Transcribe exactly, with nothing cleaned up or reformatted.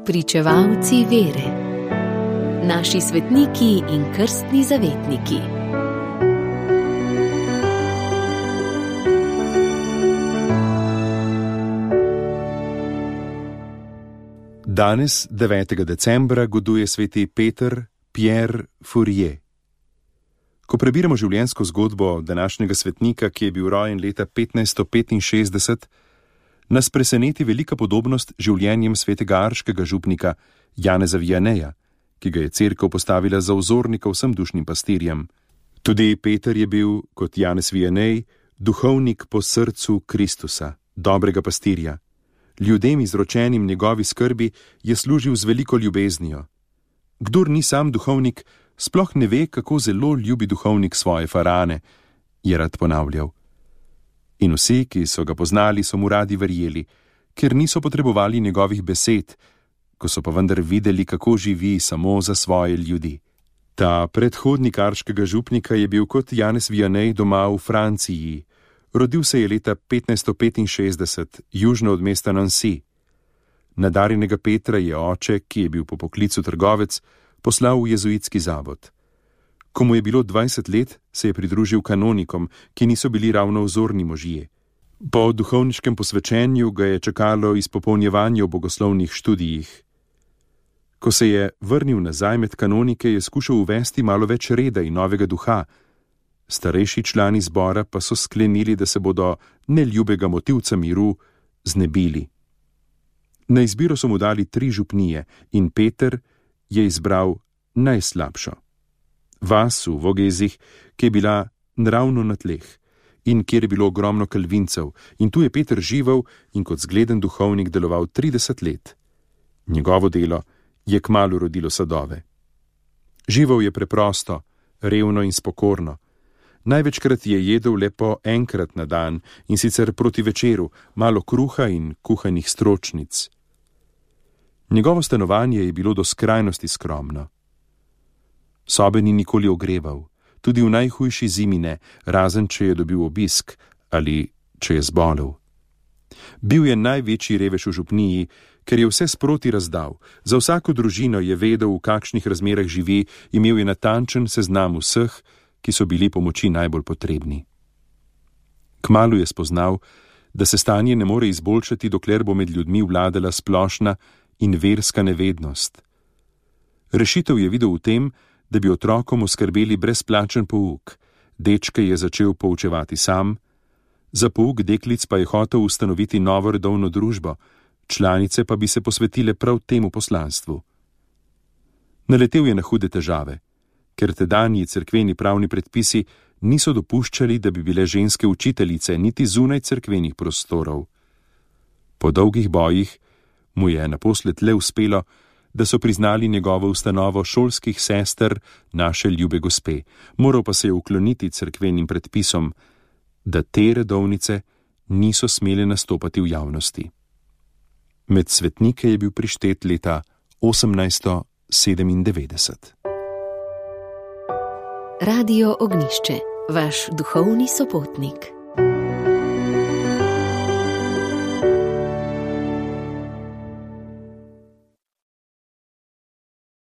Pričevalci vere. Naši svetniki in krstni zavetniki. Danes, devetega decembra, goduje sveti Peter Pierre Fourier. Ko prebiramo življenjsko zgodbo današnjega svetnika, ki je bil rojen leta petnajststo petinšestdeset, nas preseneti velika podobnost življenjem svetega arškega župnika Janeza Vianeja, ki ga je cerkev postavila za vzornika vsem dušnim pastirjem. Tudi Peter je bil, kot Janez Vianej, duhovnik po srcu Kristusa, dobrega pastirja. Ljudem, izročenim njegovi skrbi, je služil z veliko ljubeznijo. Kdor ni sam duhovnik, sploh ne ve, kako zelo ljubi duhovnik svoje farane, je rad ponavljal. In vsi, ki so ga poznali, so mu radi verjeli, ker niso potrebovali njegovih besed, ko so pa vendar videli, kako živi samo za svoje ljudi. Ta predhodnik arškega župnika je bil kot Janez Vianej doma v Franciji. Rodil se je leta petnajststo petinšestdeset, južno od mesta Nancy. Nadarjenega Petra je oče, ki je bil po poklicu trgovec, poslal v jezuitski zavod. Ko mu je bilo dvajset let, se je pridružil kanonikom, ki niso bili ravno vzorni možje. Po duhovniškem posvečenju ga je čakalo izpopolnjevanje v bogoslovnih študijih. Ko se je vrnil nazaj med kanonike, je skušal uvesti malo več reda in novega duha. Starejši člani zbora pa so sklenili, da se bodo neljubega motivca miru znebili. Na izbiro so mu dali tri župnije in Peter je izbral najslabšo. Vas v Vogezih, ki je bila naravno na tleh in kjer je bilo ogromno kalvincev, in tu je Peter živel in kot zgleden duhovnik deloval trideset let. Njegovo delo je kmalu rodilo sadove. Živel je preprosto, revno in spokorno. Največkrat je jedel le po enkrat na dan in sicer proti večeru, malo kruha in kuhanih stročnic. Njegovo stanovanje je bilo do skrajnosti skromno. Sobe ni nikoli ogreval, tudi v najhujši zimi ne, razen če je dobil obisk ali če je zbolel. Bil je največji revež v župniji, ker je vse sproti razdal. Za vsako družino je vedel, v kakšnih razmerah živi, imel je natančen seznam vseh, ki so bili pomoči najbolj potrebni. Kmalu je spoznal, da se stanje ne more izboljšati, dokler bo med ljudmi vladala splošna in verska nevednost. Rešitev je videl v tem, da bi otrokom oskrbeli brezplačen pouk. Dečke je začel poučevati sam, za pouk deklic pa je hotel ustanoviti novo redovno družbo, članice pa bi se posvetile prav temu poslanstvu. Naletel je na hude težave, ker tedanji cerkveni pravni predpisi niso dopuščali, da bi bile ženske učiteljice niti zunaj cerkvenih prostorov. Po dolgih bojih mu je naposled le uspelo, da so priznali njegovo ustanovo šolskih sester naše ljube gospe, moral pa se je ukloniti cerkvenim predpisom, da te redovnice niso smele nastopati v javnosti. Med svetnike je bil prištet leta osemnajststo sedemindevetdeset. Radio Ognjišče, vaš duhovni sopotnik.